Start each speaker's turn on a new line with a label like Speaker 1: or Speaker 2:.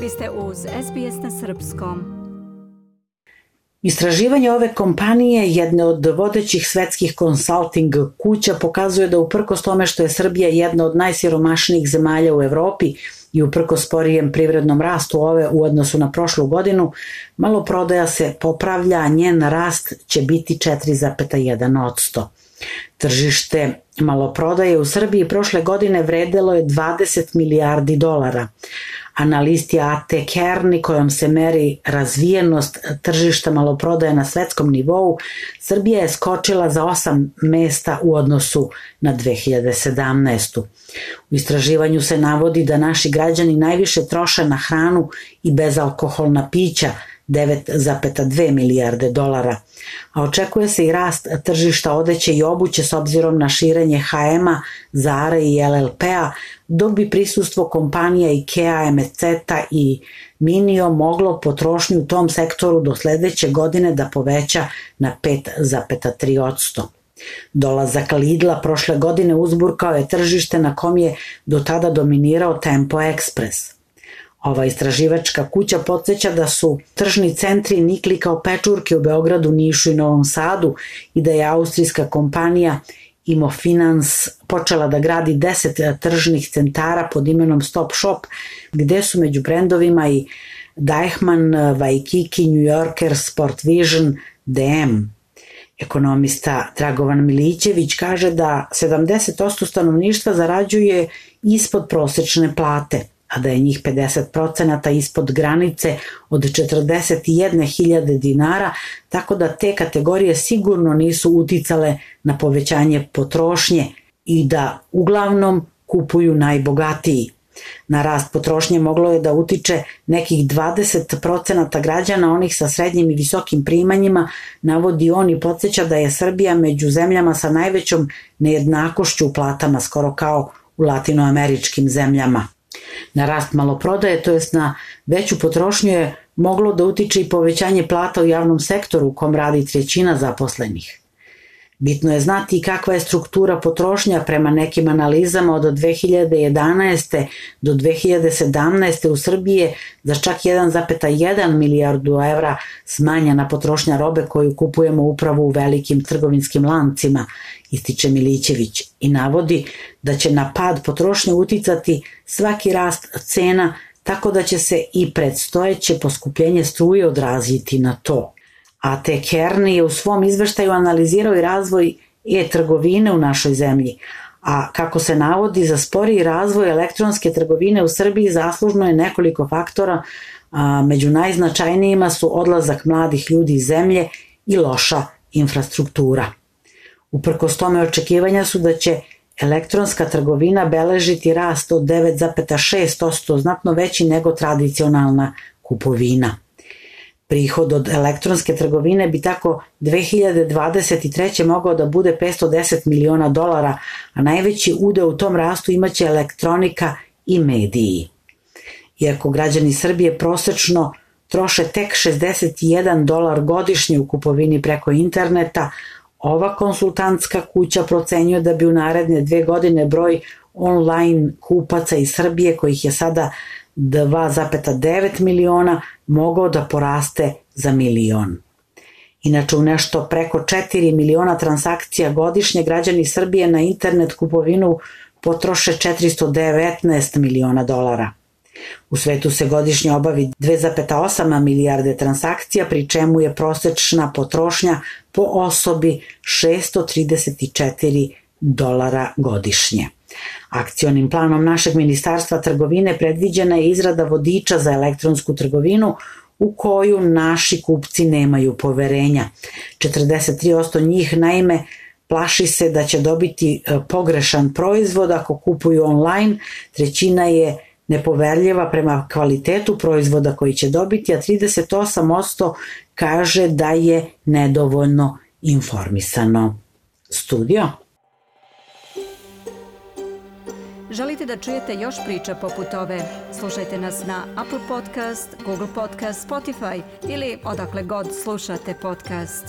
Speaker 1: Vi ste uz SBS na srpskom.
Speaker 2: Istraživanje ove kompanije, jedne od vodećih svetskih konsalting kuća, pokazuje da uprkos tome što je Srbija jedna od najsiromašnijih zemalja u Evropi i uprkos sporijem privrednom rastu ove u odnosu na prošlu godinu, maloprodaja se popravlja, a njen rast će biti 4,1%. Tržište maloprodaje u Srbiji prošle godine vredelo je 20 milijardi dolara, a na listi AT Kearney, kojom se meri razvijenost tržišta maloprodaje na svetskom nivou, Srbija je skočila za 8 mesta u odnosu na 2017. U istraživanju se navodi da naši građani najviše troše na hranu i bezalkoholna pića, 9,2 milijarde dolara, a očekuje se i rast tržišta odeće i obuće s obzirom na širenje H&M-a, Zara i LLP-a, dok bi prisustvo kompanija IKEA, MCT-a i Minio moglo potrošnju u tom sektoru do sledeće godine da poveća na 5,3%. Dolazak Lidla prošle godine uzburkao je tržište na kom je do tada dominirao Tempo Express. Ova istraživačka kuća podsjeća da su tržni centri nikli kao pečurke u Beogradu, Nišu i Novom Sadu i da je austrijska kompanija Immofinanz počela da gradi 10 tržnih centara pod imenom Stop Shop, gde su među brendovima i Deichmann, Waikiki, New Yorker, Sport Vision, DM. Ekonomista Dragovan Milićević kaže da 70% stanovništva zarađuje ispod prosečne plate, a da je njih 50% ispod granice od 41.000 dinara, tako da te kategorije sigurno nisu uticale na povećanje potrošnje i da uglavnom kupuju najbogatiji. Na rast potrošnje moglo je da utiče nekih 20% građana, onih sa srednjim i visokim primanjima, navodi on i podsjeća da je Srbija među zemljama sa najvećom nejednakošću u platama, skoro kao u latinoameričkim zemljama. Na rast maloprodaje, to jest na veću potrošnju, je moglo da utiče i povećanje plata u javnom sektoru u kom radi 1/3 zaposlenih. Bitno je znati i kakva je struktura potrošnja. Prema nekim analizama od 2011. do 2017. u Srbiji je za čak 1,1 milijardu evra smanjena potrošnja robe koju kupujemo upravo u velikim trgovinskim lancima, ističe Milićević i navodi da će na pad potrošnje uticati svaki rast cena, tako da će se i predstojeće poskupljenje struje odraziti na to. AT Kearney je u svom izveštaju analizirao i razvoj e-trgovine u našoj zemlji, a kako se navodi, za sporiji razvoj elektronske trgovine u Srbiji zaslužno je nekoliko faktora, a među najznačajnijima su odlazak mladih ljudi iz zemlje i loša infrastruktura. Uprkos tome očekivanja su da će elektronska trgovina beležiti rast od 9,6%, znatno veći nego tradicionalna kupovina. Prihod od elektronske trgovine bi tako 2023. mogao da bude 510 miliona dolara, a najveći udeo u tom rastu imaće elektronika i mediji. Iako građani Srbije prosečno troše tek $61 godišnje u kupovini preko interneta, ova konsultantska kuća procenjuje da bi u naredne 2 godine broj online kupaca iz Srbije, kojih je sada 2,9 miliona, mogao da poraste za 1 milion. Inače, u nešto preko 4 miliona transakcija godišnje građani Srbije na internet kupovinu potroše 419 miliona dolara. U svetu se godišnje obavi 2,8 milijarde transakcija, pri čemu je prosečna potrošnja po osobi $634 godišnje. Akcionim planom našeg Ministarstva trgovine predviđena je izrada vodiča za elektronsku trgovinu u koju naši kupci nemaju poverenja. 43% njih naime plaši se da će dobiti pogrešan proizvod ako kupuju online, 1/3 je nepoverljiva prema kvalitetu proizvoda koji će dobiti, a 38% kaže da je nedovoljno informisano. Studio.
Speaker 1: Želite da čujete još priča poput ove? Slušajte nas na Apple Podcast, Google Podcast, Spotify ili odakle god slušate podcast.